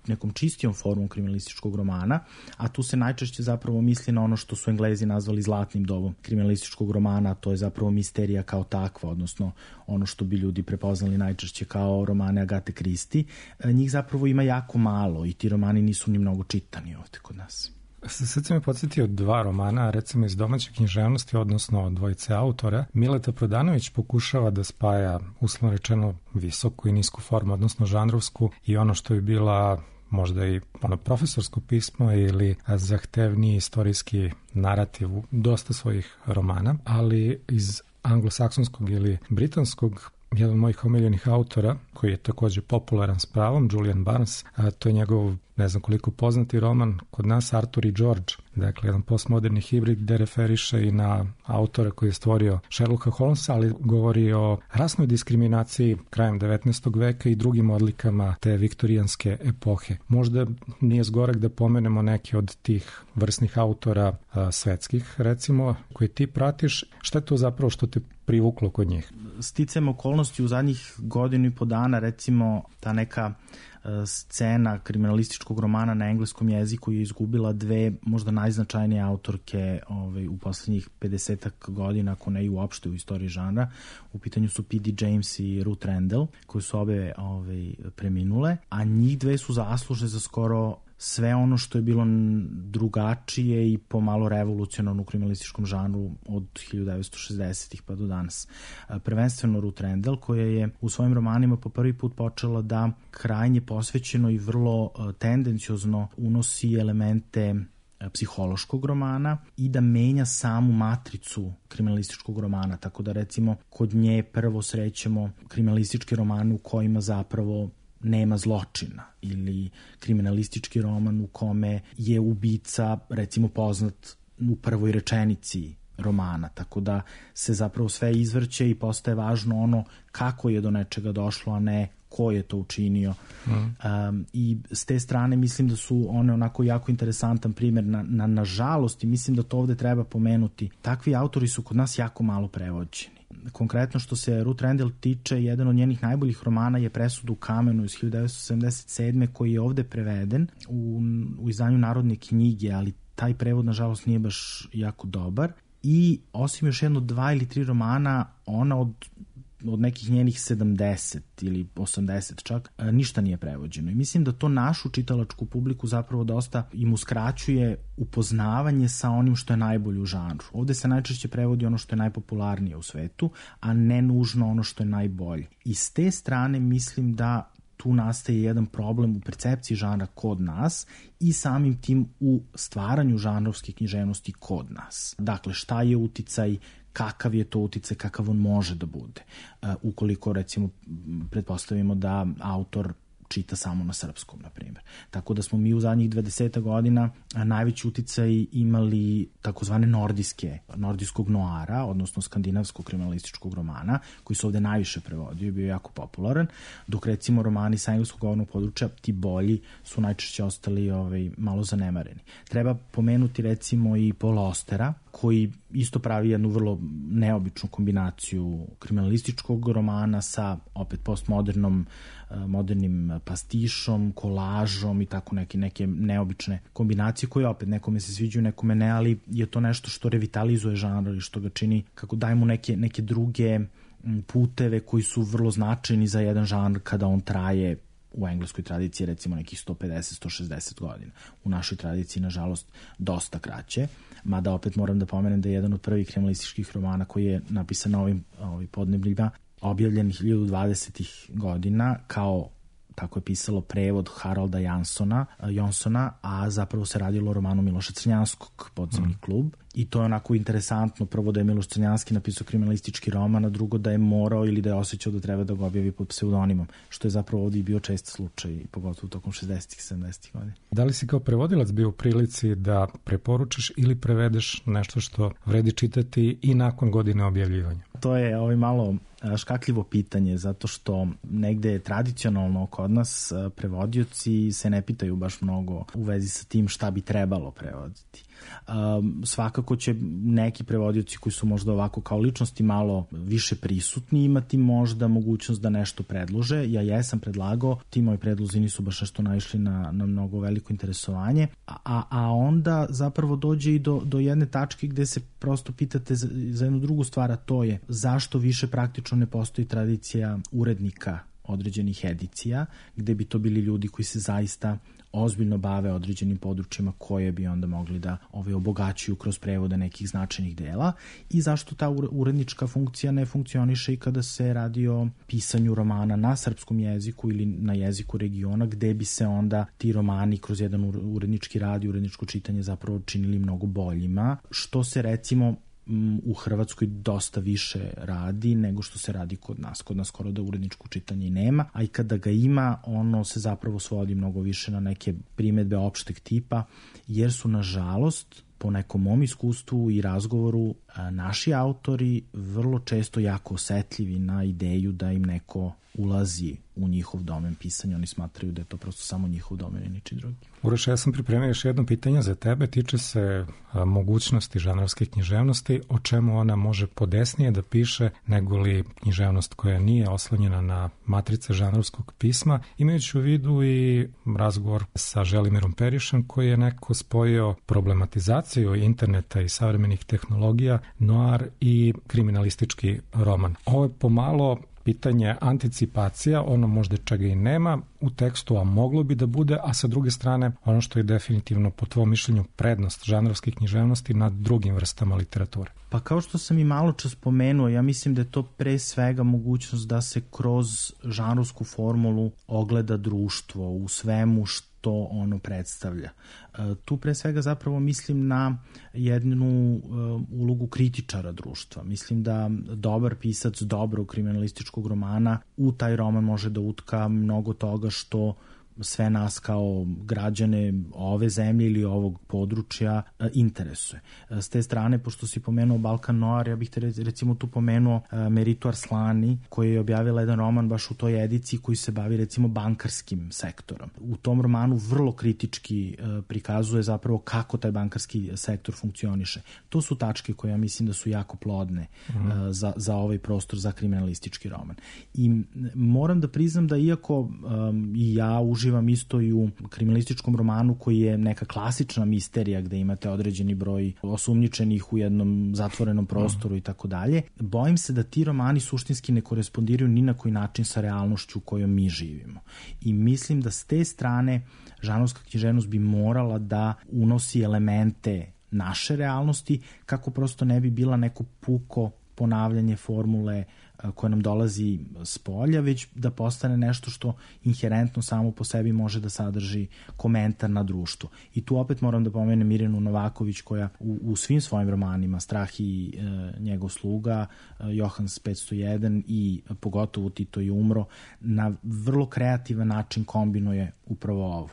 nekom čistijom formom kriminalističkog romana, a tu se najčešće zapravo misli na ono što su Englezi nazvali zlatnim dobom kriminalističkog romana, to je zapravo misterija kao takva, odnosno ono što bi ljudi prepoznali najčešće kao romane Agate Christie. Njih zapravo ima jako malo i ti romani nisu ni mnogo čitani ovde kod nas. Sad sam me podsjetio dva romana, recimo iz domaće književnosti, odnosno dvojice autora. Mileta Prodanović pokušava da spaja, uslovno rečeno, visoku i nisku formu, odnosno žanrovsku, i ono što je bila možda i ono profesorsko pismo ili zahtevniji istorijski narativ u dosta svojih romana, ali iz anglosaksonskog ili britanskog, jedan od mojih omiljenih autora, koji je takođe popularan s pravom, Julian Barnes, to je njegov, ne znam koliko poznati roman, kod nas Arthur i George, dakle jedan postmoderni hibrid gde referiše i na autora koji je stvorio Sherlocka Holmesa, ali govori o rasnoj diskriminaciji krajem 19. veka i drugim odlikama te viktorijanske epohe. Možda nije zgorek da pomenemo neke od tih vrsnih autora svetskih, recimo, koje ti pratiš. Šta je to zapravo što te privuklo kod njih? Sticajem okolnosti u zadnjih godinu i po dana, recimo ta neka scena kriminalističkog romana na engleskom jeziku je izgubila dve možda najznačajnije autorke u poslednjih 50 godina, ako ne i uopšte u istoriji žanra. U pitanju su P.D. James i Ruth Rendell, koje su obe preminule, a njih dve su zaslužne za skoro sve ono što je bilo drugačije i pomalo revolucionarno u kriminalističkom žanru od 1960-ih pa do danas. Prvenstveno Ruth Rendell, koja je u svojim romanima po prvi put počela da krajnje posvećeno i vrlo tendenciozno unosi elemente psihološkog romana i da menja samu matricu kriminalističkog romana, tako da recimo kod nje prvo srećemo kriminalistički roman u kojima zapravo nema zločina ili kriminalistički roman u kome je ubica recimo poznat u prvoj rečenici romana, tako da se zapravo sve izvrće i postaje važno ono kako je do nečega došlo, a ne ko je to učinio. I s te strane mislim da su one onako jako interesantan primjer na žalost, i mislim da to ovde treba pomenuti. Takvi autori su kod nas jako malo prevođeni. Konkretno što se Ruth Rendell tiče, jedan od njenih najboljih romana je Presuda u kamenu iz 1977. koji je ovde preveden u izdanju Narodne knjige, ali taj prevod nažalost nije baš jako dobar. I osim još jedno 2 ili 3 romana, ona od nekih njenih 70 ili 80 čak, ništa nije prevođeno. I mislim da to našu čitalačku publiku zapravo dosta im uskraćuje upoznavanje sa onim što je najbolje u žanru. Ovde se najčešće prevodi ono što je najpopularnije u svetu, a ne nužno ono što je najbolje. I s te strane mislim da tu nastaje jedan problem u percepciji žanra kod nas i samim tim u stvaranju žanrovske književnosti kod nas. Dakle, šta je uticaj, kakav je to uticaj, kakav on može da bude. Ukoliko, recimo, pretpostavimo da autor čita samo na srpskom, na primjer. Tako da smo mi u zadnjih 20 godina najveći uticaj imali takozvane nordijskog noara, odnosno skandinavskog kriminalističkog romana, koji se ovde najviše prevodio i bio jako popularan, dok recimo romani sa engleskog govornog područja, ti bolji, su najčešće ostali malo zanemareni. Treba pomenuti recimo i Paula Austera, koji isto pravi jednu vrlo neobičnu kombinaciju kriminalističkog romana sa opet postmodernim pastišom, kolažom i tako neke neobične kombinacije koje opet nekome se sviđaju, nekome ne, ali je to nešto što revitalizuje žanr i što ga čini, kako dajemo neke druge puteve koji su vrlo značajni za jedan žanr kada on traje u engleskoj tradiciji recimo nekih 150-160 godina. U našoj tradiciji, nažalost, dosta kraće, mada opet moram da pomenem da je jedan od prvih kriminalističkih romana koji je napisan na ovim podnebljima objavljen 1020. godina kao, tako je pisalo, prevod Harolda Jonsona, a zapravo se radilo o romanu Miloša Crnjanskog, Podzemni klub. I to je onako interesantno, prvo da je Miloš Crnjanski napisao kriminalistički roman, a drugo da je morao ili da je osjećao da treba da ga objavi pod pseudonimom, što je zapravo ovdje i bio čest slučaj, pogotovo tokom 60. 70. godina. Da li si kao prevodilac bio u prilici da preporučiš ili prevedeš nešto što vredi čitati i nakon godine objavljivanja? To je malo škakljivo pitanje, zato što negde tradicionalno kod nas prevodioci se ne pitaju baš mnogo u vezi sa tim šta bi trebalo prevoditi. Svakako će neki prevodioci koji su možda ovako kao ličnosti malo više prisutni imati možda mogućnost da nešto predlože. Ja jesam predlagao, ti moji predlozi nisu baš nešto naišli na mnogo veliko interesovanje, a onda zapravo dođe i do jedne tačke gde se prosto pitate za jednu drugu stvar, a to je zašto više praktično ne postoji tradicija urednika određenih edicija, gde bi to bili ljudi koji se zaista ozbiljno bave određenim područjima koje bi onda mogli da obogaćuju kroz prevode nekih značajnih dela, i zašto ta urednička funkcija ne funkcioniše i kada se radi o pisanju romana na srpskom jeziku ili na jeziku regiona, gde bi se onda ti romani kroz jedan urednički rad i uredničko čitanje zapravo činili mnogo boljima, što se recimo u Hrvatskoj dosta više radi nego što se radi kod nas. Kod nas skoro da uredničko čitanje i nema, a i kada ga ima, ono se zapravo svodi mnogo više na neke primedbe opšteg tipa, jer su, nažalost, po nekom mom iskustvu i razgovoru, naši autori vrlo često jako osetljivi na ideju da im neko ulazi u njihov domen pisanja. Oni smatraju da je to prosto samo njihov domen i niči drugi. Uroš, ja sam pripremio još jedno pitanje za tebe. Tiče se mogućnosti žanrovske književnosti, o čemu ona može podesnije da piše nego li književnost koja nije oslonjena na matrice žanrovskog pisma, imajući u vidu i razgovor sa Želimirom Perišem, koji je nekako spojio problematizaciju interneta i savremenih tehnologija, noir i kriminalistički roman. Ovo je pomalo pitanje anticipacija, ono možda čega i nema u tekstu, a moglo bi da bude, a sa druge strane ono što je definitivno po tvom mišljenju prednost žanrovske književnosti nad drugim vrstama literature. Pa kao što sam i malo čas spomenuo, ja mislim da je to pre svega mogućnost da se kroz žanrovsku formulu ogleda društvo u svemu što ono predstavlja. Tu pre svega zapravo mislim na jednu ulogu kritičara društva. Mislim da dobar pisac dobrog kriminalističkog romana u taj roman može da utka mnogo toga što sve nas kao građane ove zemlje ili ovog područja interesuje. S te strane, pošto si pomenuo Balkan Noir, ja bih te recimo tu pomenuo Meritu Arslani, koja je objavila jedan roman baš u toj ediciji koji se bavi recimo bankarskim sektorom. U tom romanu vrlo kritički prikazuje zapravo kako taj bankarski sektor funkcioniše. To su tačke koje ja mislim da su jako plodne za ovaj prostor za kriminalistički roman. I moram da priznam da iako i ja uživam isto i u kriminalističkom romanu koji je neka klasična misterija gde imate određeni broj osumnjičenih u jednom zatvorenom prostoru i tako dalje, bojim se da ti romani suštinski ne korespondiraju ni na koji način sa realnošću u kojoj mi živimo. I mislim da s te strane žanrovska književnost bi morala da unosi elemente naše realnosti kako prosto ne bi bila neko puko ponavljanje formule koja nam dolazi s polja, već da postane nešto što inherentno samo po sebi može da sadrži komentar na društvo. I tu opet moram da pomenem Mirjanu Novaković koja u svim svojim romanima, Strah i njegov sluga, Johans 501 i pogotovo Tito je umro, na vrlo kreativan način kombinuje upravo ovo.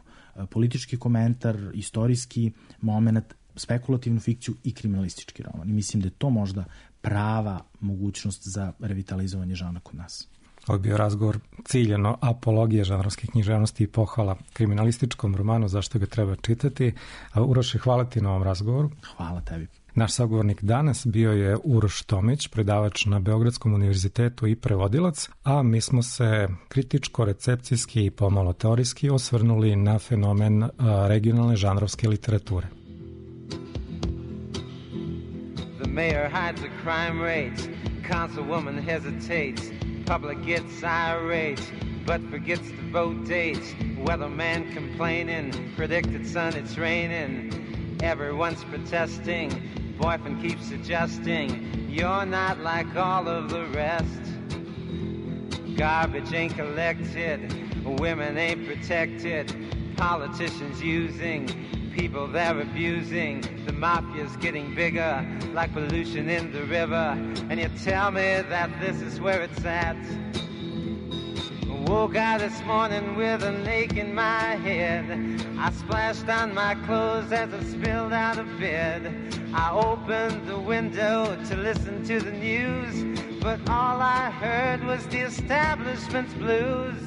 Politički komentar, istorijski moment, spekulativnu fikciju i kriminalistički roman. I mislim da je to možda prava mogućnost za revitalizovanje žanra kod nas. Ovo je bio razgovor ciljeno apologije žanrovske književnosti i pohvala kriminalističkom romanu, zašto ga treba čitati. Uroše, hvala ti na ovom razgovoru. Hvala tebi. Naš sagovornik danas bio je Uroš Tomić, predavač na Beogradskom univerzitetu i prevodilac, a mi smo se kritičko, recepcijski i pomalo teorijski osvrnuli na fenomen regionalne žanrovske literature. The mayor hides the crime rates, councilwoman hesitates, public gets irate, but forgets to vote dates, weatherman complaining, predicted sun it's raining, everyone's protesting, boyfriend keeps suggesting, you're not like all of the rest, garbage ain't collected, women ain't protected, politicians using, people they're abusing, the mafia's getting bigger, like pollution in the river, and you tell me that this is where it's at. Woke out this morning with an ache in my head, I splashed on my clothes as I spilled out of bed, I opened the window to listen to the news, but all I heard was the establishment's blues.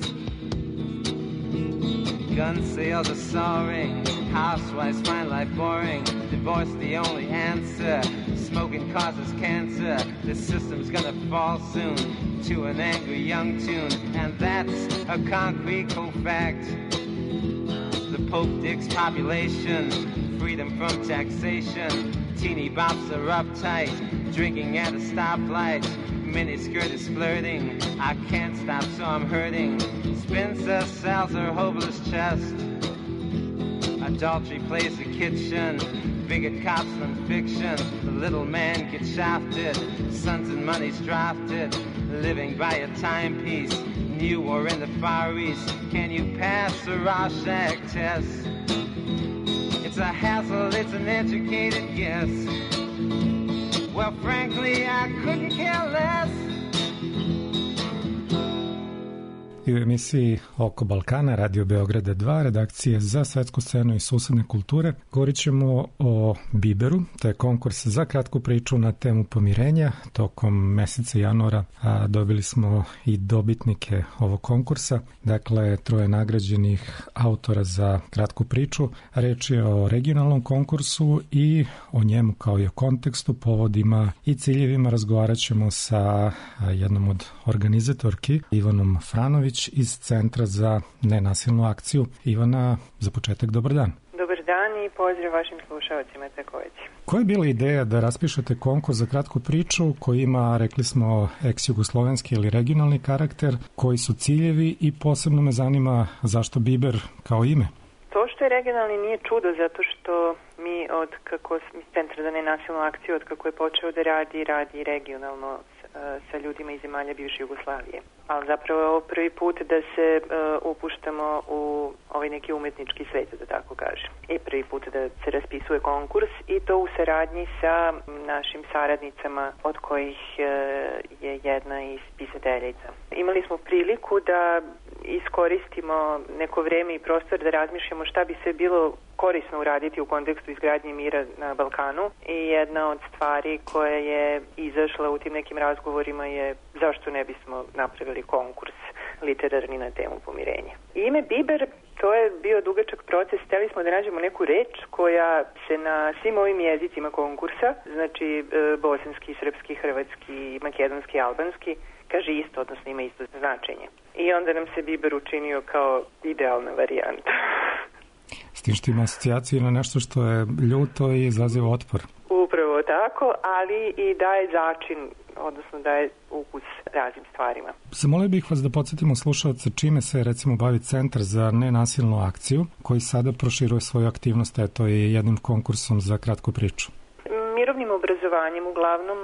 Gun sales are soaring, housewives find life boring, divorce the only answer, smoking causes cancer, this system's gonna fall soon to an angry young tune, and that's a concrete cold fact. The Pope digs population, freedom from taxation, teeny bops are uptight, drinking at a stoplight, miniskirt is flirting, I can't stop so I'm hurting, Spencer sells her hopeless chest, adultery plays the kitchen, bigot cops than fiction, the little man gets shafted, sons and money's drafted, living by a timepiece, new war in the Far East, can you pass the Rorschach test? It's a hassle, it's an educated guess, well frankly I couldn't care less. I u emisiji Oko Balkana, Radio Beograda 2, redakcije za svetsku scenu i susedne kulture, govorit ćemo o Biberu, to je konkurs za kratku priču na temu pomirenja. Tokom meseca januara dobili smo i dobitnike ovog konkursa, dakle 3 nagrađenih autora za kratku priču. Reč je o regionalnom konkursu i o njemu kao i o kontekstu, povodima i ciljevima razgovarat ćemo sa jednom od organizatorki, Ivanom Franović iz Centra za nenasilnu akciju. Ivana, za početak dobar dan. Dobar dan i pozdrav vašim slušalcima također. Koja je bila ideja da raspišete konkurs za kratku priču koji ima, rekli smo, ex-jugoslovenski ili regionalni karakter, koji su ciljevi i posebno me zanima zašto Biber kao ime? To što je regionalni nije čudo, zato što mi od kako Centar za nenasilnu akciju, od kako je počeo da radi regionalno sa ljudima iz zemalja bivše Jugoslavije. Ali zapravo je ovo prvi put da se upuštamo u ovaj neki umetnički svet, da tako kažem. I prvi put da se raspisuje konkurs i to u saradnji sa našim saradnicama, od kojih je jedna i spisateljica. Imali smo priliku da iskoristimo neko vreme i prostor da razmišljamo šta bi se bilo korisno uraditi u kontekstu izgradnje mira na Balkanu i jedna od stvari koja je izašla u tim nekim razgovorima je zašto ne bismo napravili konkurs literarni na temu pomirenja. Ime Biber, to je bio dugačak proces, hteli smo da nađemo neku reč koja se na svim ovim jezicima konkursa, znači bosanski, srpski, hrvatski, makedonski, albanski, kaže isto, odnosno ima isto značenje. I onda nam se Biber učinio kao idealna varijanta. S tim što ima asocijaciju na nešto što je ljuto i izaziva otpor. Upravo tako, ali i daje začin, odnosno daje ukus raznim stvarima. Zamolio bih vas da podsjetimo slušalce čime se recimo bavi Centar za nenasilnu akciju, koji sada proširuje svoju aktivnost, eto i jednim konkursom za kratku priču. Mirovnim obrazovanjem uglavnom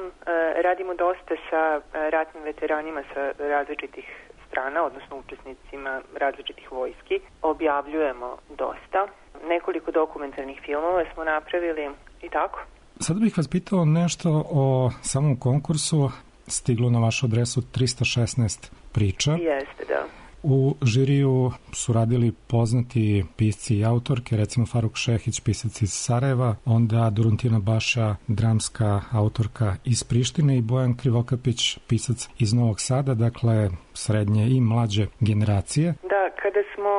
radimo dosta sa ratnim veteranima sa različitih strana, odnosno učesnicima različitih vojski. Objavljujemo dosta. Nekoliko dokumentarnih filmova smo napravili i tako. Sada bih vas pitao nešto o samom konkursu. Stiglo na vašu adresu 316 priča. Jeste, da. U žiriju su radili poznati pisci i autorke, recimo Faruk Šehić, pisac iz Sarajeva, onda Duruntina Baša, dramska autorka iz Prištine i Bojan Krivokapić, pisac iz Novog Sada, dakle srednje i mlađe generacije. Da, kada smo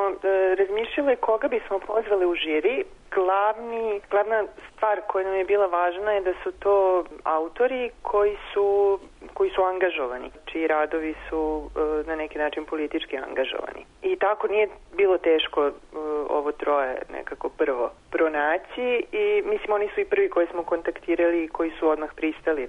razmišljali koga bismo pozvali u žiri, glavna stvar koja nam je bila važna je da su to autori koji su angažovani, čiji radovi su na neki način politički angažovani. I tako nije bilo teško ovo troje nekako prvo pronaći i mislim oni su i prvi koji smo kontaktirali i koji su odmah pristali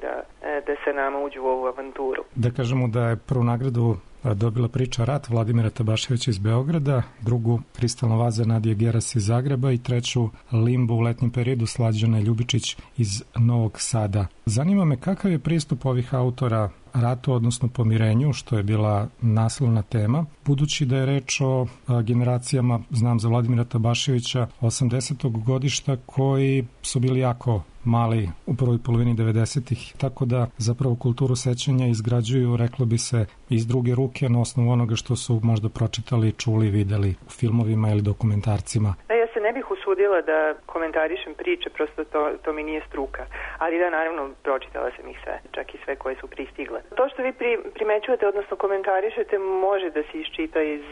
da se nama uđu u ovu avanturu. Da kažemo da je prvu nagradu dobila priča Rat Vladimira Tabaševića iz Beograda, drugu Kristalna vaza Nadije Geras iz Zagreba i treću Limbo u letnjem periodu Slađana Ljubičić iz Novog Sada. Zanima me kakav je pristup ovih autora ratu, odnosno pomirenju, što je bila naslovna tema, budući da je reč o generacijama, znam za Vladimira Tabaševića, 80. godišta koji su bili jako mali u prvoj polovini 90-ih, tako da zapravo kulturu sećanja izgrađuju, reklo bi se, iz druge ruke na osnovu onoga što su možda pročitali, čuli, videli u filmovima ili dokumentarcima. Ja se ne bih usudila da komentarišem priče, prosto to mi nije struka, ali da, naravno, pročitala sam ih sve, čak i sve koje su pristigle. To što vi primećujete, odnosno komentarišete, može da se iščita iz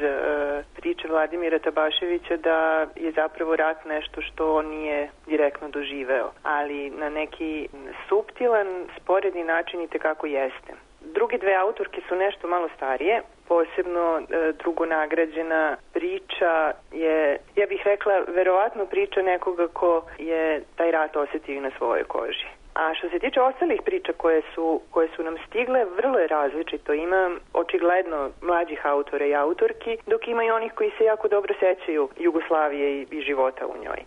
priče Vladimira Tabaševića da je zapravo rat nešto što on nije direktno doživeo, ali na neki suptilan, sporedni način i tekako jeste. Drugi dve autorke su nešto malo starije, posebno drugonagrađena priča je, ja bih rekla, verovatno priča nekoga ko je taj rat osetio na svojoj koži. A što se tiče ostalih priča koje su nam stigle, vrlo je različito. Ima očigledno mlađih autora i autorki, dok ima i onih koji se jako dobro sećaju Jugoslavije i života u njoj.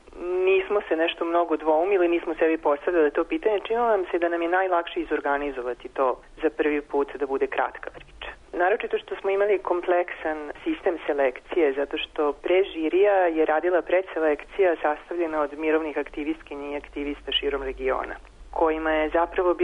Nismo se nešto mnogo dvoumili, nismo sebi postavljali to pitanje. Činilo nam se da nam je najlakše izorganizovati to za prvi put da bude kratka priča. Naročito što smo imali kompleksan sistem selekcije, zato što pre žirija je radila predselekcija sastavljena od mirovnih aktivistkinja i aktivista širom regiona, kojima je zapravo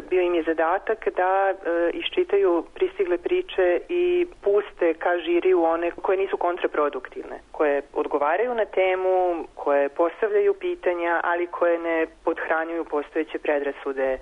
bio im je zadatak da iščitaju pristigle priče i puste ka žiriju one koje nisu kontraproduktivne, koje odgovaraju na temu, koje postavljaju pitanja, ali koje ne podhranjuju postojeće predrasude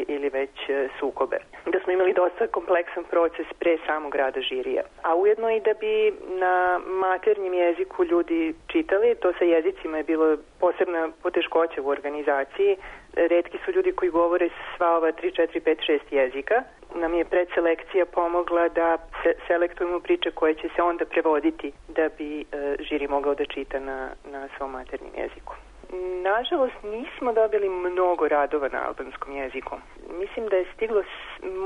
ili već sukobe. Da smo imali dosta kompleksan proces pre samog rada žirija. A ujedno i da bi na maternjem jeziku ljudi čitali, to sa jezicima je bilo posebna poteškoća u organizaciji. Retki su ljudi koji govore sva ova 3, 4, 5, 6 jezika. Nam je predselekcija pomogla da selektujemo priče koje će se onda prevoditi da bi žiri mogao da čita na svom maternjem jeziku. Nažalost, nismo dobili mnogo radova na albanskom jeziku. Mislim da je stiglo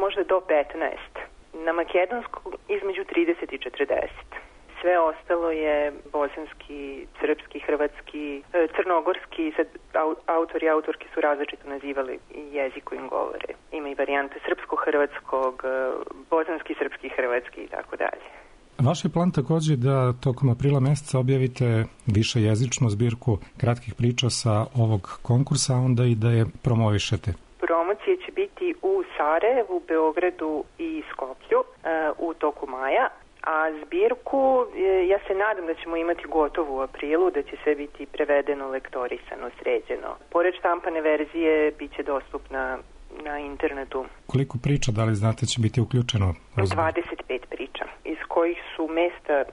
možda do 15. Na makedonskom između 30 i 40. Sve ostalo je bosanski, srpski, hrvatski, crnogorski, sad autori i autorke su različito nazivali jezik kojim govore. Ima i varijante srpsko-hrvatskog, bosanski, srpski, hrvatski i tako dalje. Vaš je plan takođe da tokom aprila meseca objavite višejezičnu zbirku kratkih priča sa ovog konkursa, onda i da je promovišete. Promocije će biti u Sarajevu, Beogradu i Skoplju u toku maja, a zbirku ja se nadam da ćemo imati gotovu u aprilu, da će sve biti prevedeno, lektorisano, sređeno. Pored štampane verzije bit će dostupna na internetu. Koliko priča, da li znate, će biti uključeno? 25 priča, iz kojih su mesta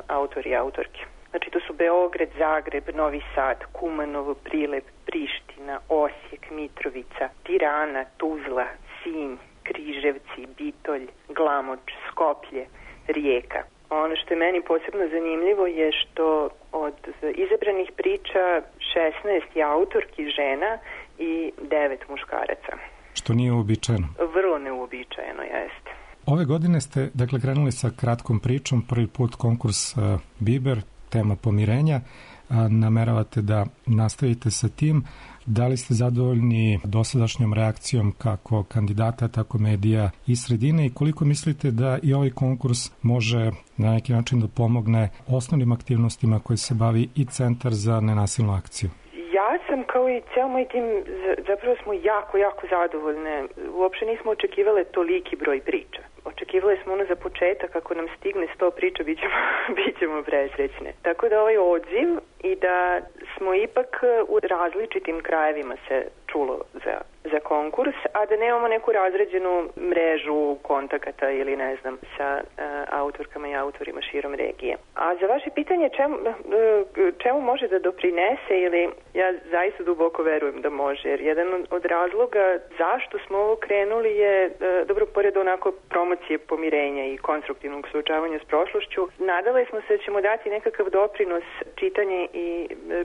autori i autorke. Znači to su Beograd, Zagreb, Novi Sad, Kumanovo, Prilep, Priština, Osijek, Mitrovica, Tirana, Tuzla, Sinj, Križevci, Bitolj, Glamoč, Skoplje, Rijeka. Ono što je meni posebno zanimljivo je što od izabranih priča 16 je autorki žena i 9 muškaraca. Što nije uobičajeno. Vrlo neuobičajeno, jeste. Ove godine ste, dakle, krenuli sa kratkom pričom, prvi put konkurs Biber, tema pomirenja. Nameravate da nastavite sa tim. Da li ste zadovoljni dosadašnjom reakcijom kako kandidata, tako medija i sredine i koliko mislite da i ovaj konkurs može na neki način da pomogne osnovnim aktivnostima koji se bavi i Centar za nenasilnu akciju? Ja sam kao i ceo moj tim, zapravo smo jako zadovoljne. Uopšte nismo očekivale toliki broj priča. Očekivali smo za početak, ako nam stigne 100 priča, bit ćemo presrećne. Tako da ovaj odziv i da smo ipak u različitim krajevima se čulo za konkurs, a da nemamo neku razređenu mrežu kontakata ili ne znam sa autorkama i autorima širom regije. A za vaše pitanje čemu može da doprinese, ili ja zaista duboko verujem da može, jer jedan od razloga zašto smo ovo krenuli je, dobro, pored onako promocije pomirenja i konstruktivnog suočavanja s prošlošću, nadali smo se da ćemo dati nekakav doprinos čitanje i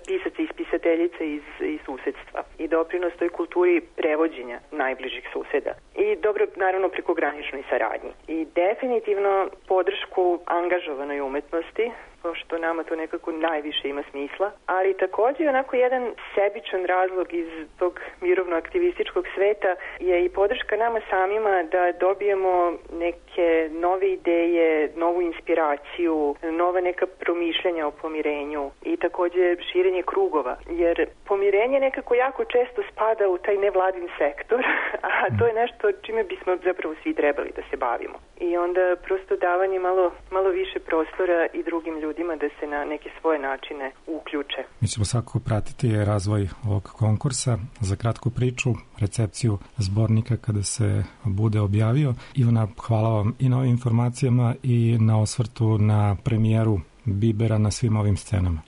pisaca i pisateljica iz susedstva i doprinos toj kulturi prevođenja najbližih suseda. I dobro, naravno, prekograničnoj saradnji. I definitivno podršku angažovanoj umetnosti, pošto nama to nekako najviše ima smisla, ali takođe onako jedan sebičan razlog iz tog mirovno-aktivističkog sveta je i podrška nama samima da dobijemo neke nove ideje, novu inspiraciju, nova neka promišljanja o pomirenju i takođe širenje krugova, jer pomirenje nekako jako često spada u taj nevladin sektor, a to je nešto čime bismo zapravo svi trebali da se bavimo. I onda prosto davanje malo više prostora i drugim ljudima da se na neke svoje načine uključe. Mi ćemo svakako pratiti razvoj ovog konkursa za kratku priču, recepciju zbornika kada se bude objavio. Ivana, hvala vam i na ovim informacijama i na osvrtu na premijeru Bibera na svim ovim scenama.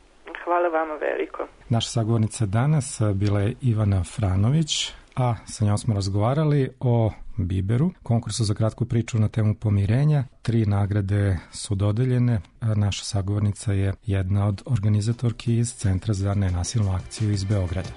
Hvala vama veliko. Naša sagovornica danas bila je Ivana Franović, a sa njom smo razgovarali o Biberu, konkursu za kratku priču na temu pomirenja. 3 nagrade su dodeljene. Naša sagovornica je jedna od organizatorki iz Centra za nenasilnu akciju iz Beograda.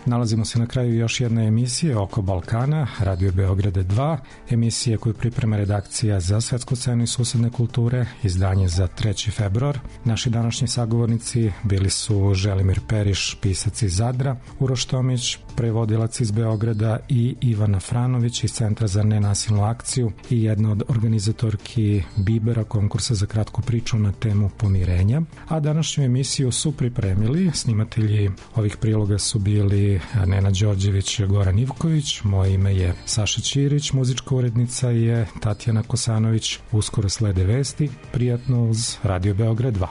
Nalazimo se na kraju još jedne emisije Oko Balkana, Radio Beograda 2, emisije koju priprema redakcija za svetsku scenu i susedne kulture, izdanje za 3. februar. Naši današnji sagovornici bili su Želimir Periš, pisac iz Zadra, Uroš Tomić, prevodilac iz Beograda i Ivana Franović iz Centra za nenasilnu akciju i jedna od organizatorki Bibera, konkursa za kratku priču na temu pomirenja. A današnju emisiju su pripremili, snimatelji ovih priloga su bili Nena Đorđević i Goran Ivković, moje ime je Saša Ćirić, muzička urednica je Tatjana Kosanović. Uskoro slede vesti, prijatno uz Radio Beograd 2.